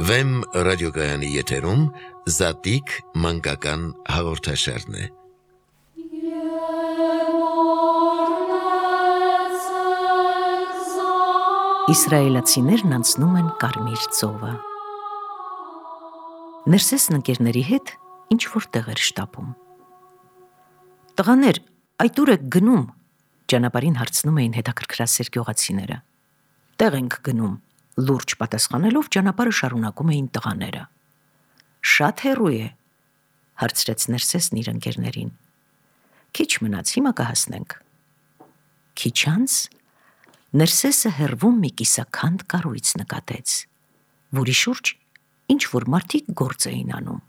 Վեմ ռադիոգայանի եթերում Զատիկ մանկական հաղորդաշարն է։ Իսրայելացիներն անցնում են Կարմիր ծովը։ Ներսեսն ընկերների հետ ինչ-որ տեղ էր շտապում։ Տղաներ, այդ ուր եք գնում, ճանապարհին հարցնում էին հետաքրքրասեր գյուղացիները։ Տեղ ենք գնում, լուրջ պատասխանելով ճանապարհը շարունակում էին տղաները։ Շատ հեռու է, հարցրեց Ներսեսն իր ընկերներին։ Քիչ մնաց, հիմա կհասնենք։ Քիչ անց Ներսեսը հեռվում մի կիսաքանդ կառույց նկատեց, որի շուրջ ինչ-որ մարդիկ գործ էին անում։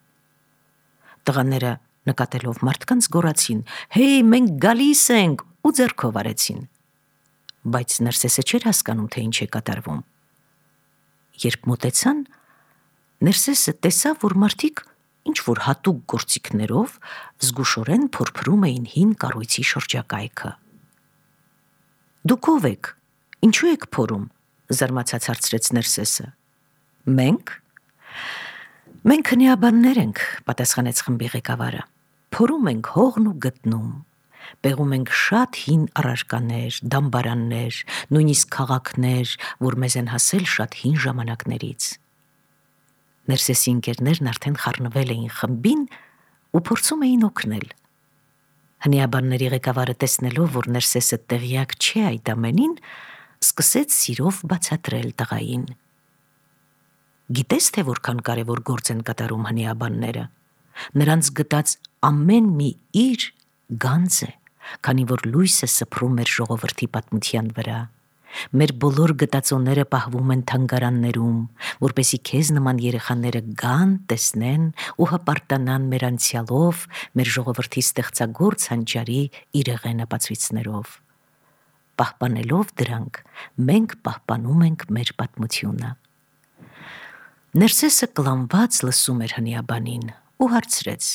Տղաները նկատելով մարդկանց գոռացին. «Հեյ, մենք գալիս ենք» ու ձեռքով արեցին։ Բայց Ներսեսը չէր հասկանում, թե ինչ է կատարվում։ Երբ մոտեցան, Ներսեսը տեսավ, որ մարդիկ ինչ-որ հատուկ գործիքներով զգուշորեն փորփրում էին հին կառույցի շրջակայքը։ «Դուք ով եք, ինչու եք փորում», զարմացած հարցրեց Ներսեսը։ Մենք հնեաբաններ ենք, պատասխանեց խմբի ղեկավարը։ Փորում ենք հողն ու գտնում, պեղում ենք շատ հին առարկաներ, դամբարաններ, նույնիսկ քաղաքներ, որ մեզ են հասել շատ հին ժամանակներից։ Ներսեսի ընկերներն արդեն խառնվել էին խմբին ու փորձում էին օգնել։ Հնեաբանների ղեկավարը տեսնելով, որ Ներսեսը տեղյակ չէ այդ ամենին, սկսեց սիրով բացատրել տղային։ Գիտես, թե որքան կարևոր գործ են կատարում հնեաբանները։ Նրանց գտած ամեն մի իր գանձ է, քանի որ լույսը սփռում մեր ժողովրդի պատմության վրա։ Մեր բոլոր գտածոները պահվում են թանգարաններում, որպեսզի քեզ նման երեխաները գան, տեսնեն ու հպարտանան մեր անցյալով, մեր ժողովրդի ստեղծագործ հանճարի իրեղեն ապացույցներով։ Պահպանելով դրանք, մենք պահպանում ենք մեր պատմությունը։ Ներսեսը կլանված լսում էր հնեաբանին ու հարցրեց.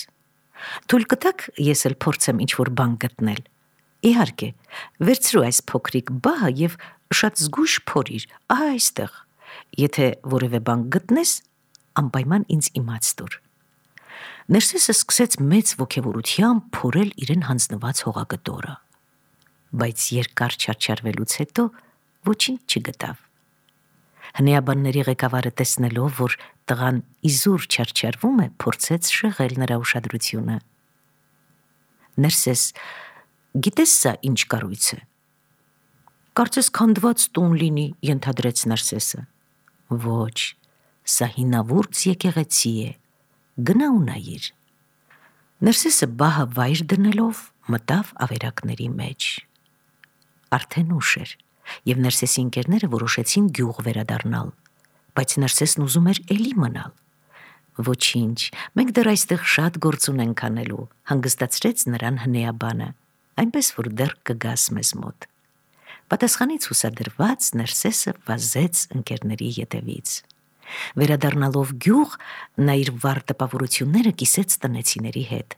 Թույլ կտաք ես էլ փորձեմ ինչ-որ բան գտնել։ Իհարկե, վերցրու այս փոքրիկ բահը և շատ զգույշ փորիր, ահա այստեղ։ Եթե որևէ բան գտնես, անպայման ինձ իմաց տուր։ Ներսեսը սկսեց մեծ ոգևորությամբ փորել իրեն հանձնված հողագտորը, բայց երկար չարչարվելուց հետո ոչինչ չգտավ։ Հնեաբանների ղեկավարը տեսնելով, որ տղան իզուր չարչարվում է, փորձեց շեղել նրա ուշադրությունը։ Ներսես, գիտես սա ինչ կառույց է։ Կարծես քանդված տուն լինի, ենթադրեց Ներսեսը։ Ոչ, սա հինավուրց եկեղեցի է, գնա ու նայիր։ Ներսեսը բահը վայր դնելով մտավ ավերակների մեջ։ Արդեն ուշ էր, և Ներսեսի ընկերները որոշեցին գյուղ վերադառնալ, բայց Ներսեսն ուզում էր էլի մնալ։ Ոչինչ, մենք դեռ այստեղ շատ գործ ունենք անելու, հանգստացրեց նրան հնեաբանը, այնպես որ դեռ կգաս մեզ մոտ։ Պատասխանից հուսադրված Ներսեսը վազեց ընկերների ետևից։ Վերադառնալով գյուղ, նա իր վառ տպավորությունները կիսեց տնեցիների հետ։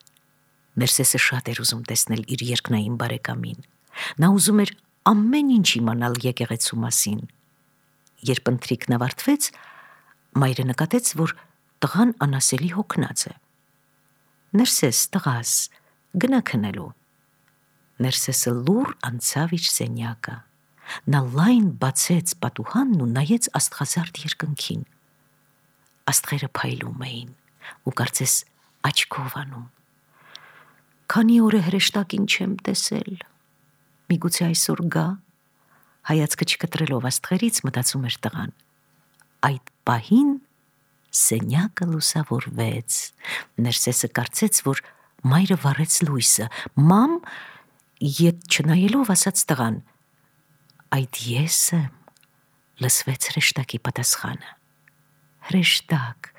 Ներսեսը շատ էր ուզում տեսնել իր երկնային բարեկամին։ Նա ուզում էր ամեն ինչ իմանալ եկեղեցու մասին։ Երբ ընթրիքն ավարտվեց, մայրը նկատեց, որ տղան անասելի հոգնած է։ Ներսես, տղաս, գնա քնելու։ Ներսեսը լուռ անցավ իր սենյակը։ Նա լայն բացեց պատուհանն ու նայեց աստղազարդ երկնքին։ Աստղերը փայլում էին ու կարծես աչքով անում։ Քանի օր է հրեշտակին չեմ տեսել։ Միգուցե այսօր գա, հայացքը չկտրելով աստղերից մտածում էր տղան։ Այդ պահին սենյակը լուսավորվեց։ Ներսեսը կարծեց, որ մայրը վառեց լույսը։ Մամ, ետ չնայելով ասաց տղան։ Այդ ես եմ, լսվեց հրեշտակի պատասխանը։ Հրեշտակ,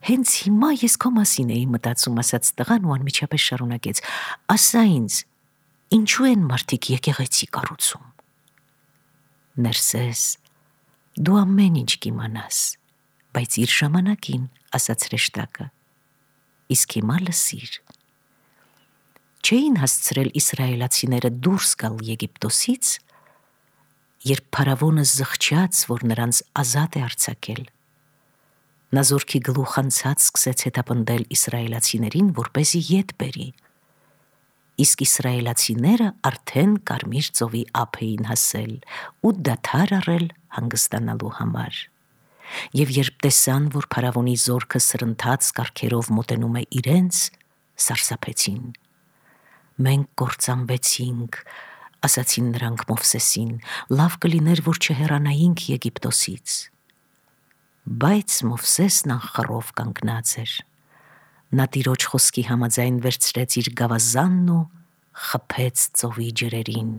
հենց հիմա ես քո մասին էի մտածում, ասաց տղան ու անմիջապես շարունակեց. ասա ինձ, ինչու են մարդիկ եկեղեցի կառուցում։ Ներսես, դու ամեն ինչ կիմանաս, բայց իր ժամանակին, ասաց հրեշտակը։ Իսկ հիմա լսիր։ Չէին հասցրել իսրայելացիները դուրս գալ Եգիպտոսից, երբ փարավոնը զղջաց, որ նրանց ազատ է արձակել։ Նա զորքի գլուխ անցած սկսեց հետապնդել իսրայելացիներին, որպեսզի ետ բերի։ Իսկ իսրայելացիները արդեն Կարմիր ծովի ափ էին հասել ու դադար առել հանգստանալու համար։ Եվ երբ տեսան, որ փարավոնի զորքը սրընթաց կարգերով մոտենում է իրենց, սարսափեցին։ «Մենք կործանվեցինք», ասացին նրանք Մովսեսին, «լավ կլիներ, որ չհեռանայինք Եգիպտոսից»։ Բայց Մովսեսն անխռով կանգնած էր։ Նա Տիրոջ խոսքի համաձայն վերցրեց իր գավազանն ու խփեց ծովի ջրերին։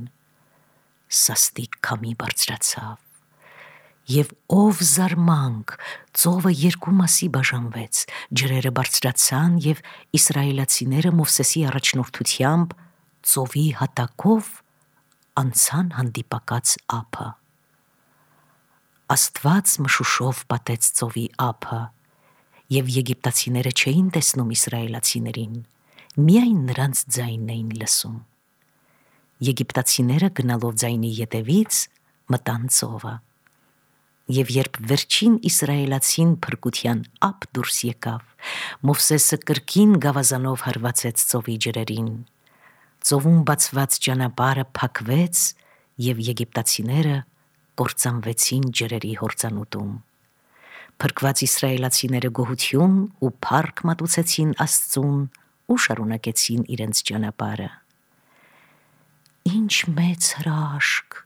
Սաստիկ քամի բարձրացավ, եւ ով զարմանք, ծովը երկու մասի բաժանվեց, ջրերը բարձրացան եւ իսրայելացիները Մովսեսի առաջնորդությամբ ծովի հատակով անցան հանդիպակաց ափը։ Աստված մշուշով պատեց ծովի ափը, եւ եգիպտացիները չէին տեսնում իսրայելացիներին, միայն նրանց ձայնն էին լսում։ Եգիպտացիները գնալով ձայնի ետևից մտան ծովը։ Եվ երբ վերջին իսրայելացին փրկության ափ դուրս եկավ, Մովսեսը կրկին գավազանով հարվածեց ծովի ջրերին։ Ծովում բացված ճանապարհը փակվեց, եւ եգիպտացիները կործանվեցին ջրերի հորձանուտում։ Փրկված իսրայելացիները գոհություն ու փառք մատուցեցին Աստծուն ու շարունակեցին իրենց ճանապարհը։ «Ինչ մեծ հրաշք»,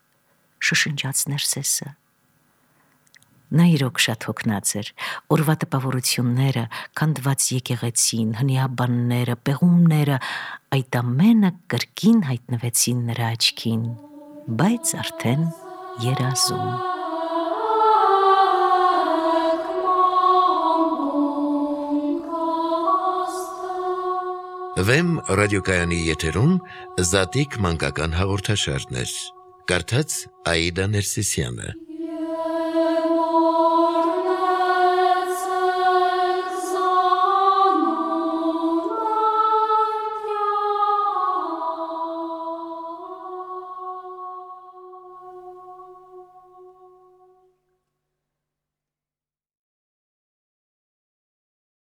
շշնջաց Ներսեսը։ Նա իրոք շատ հոգնած էր։ Օրվա տպավորությունները, քանդված եկեղեցին, հնիաբանները, պեղումները, այդ ամենը կրկին հայտնվեցին նրա աչքին, բայց արդեն երազում։ Վեմ ռադիոկայանի եթերում Զատիկ մանկական հաղորդաշարներ։ Կարդաց Աիդա Ներսիսյանը։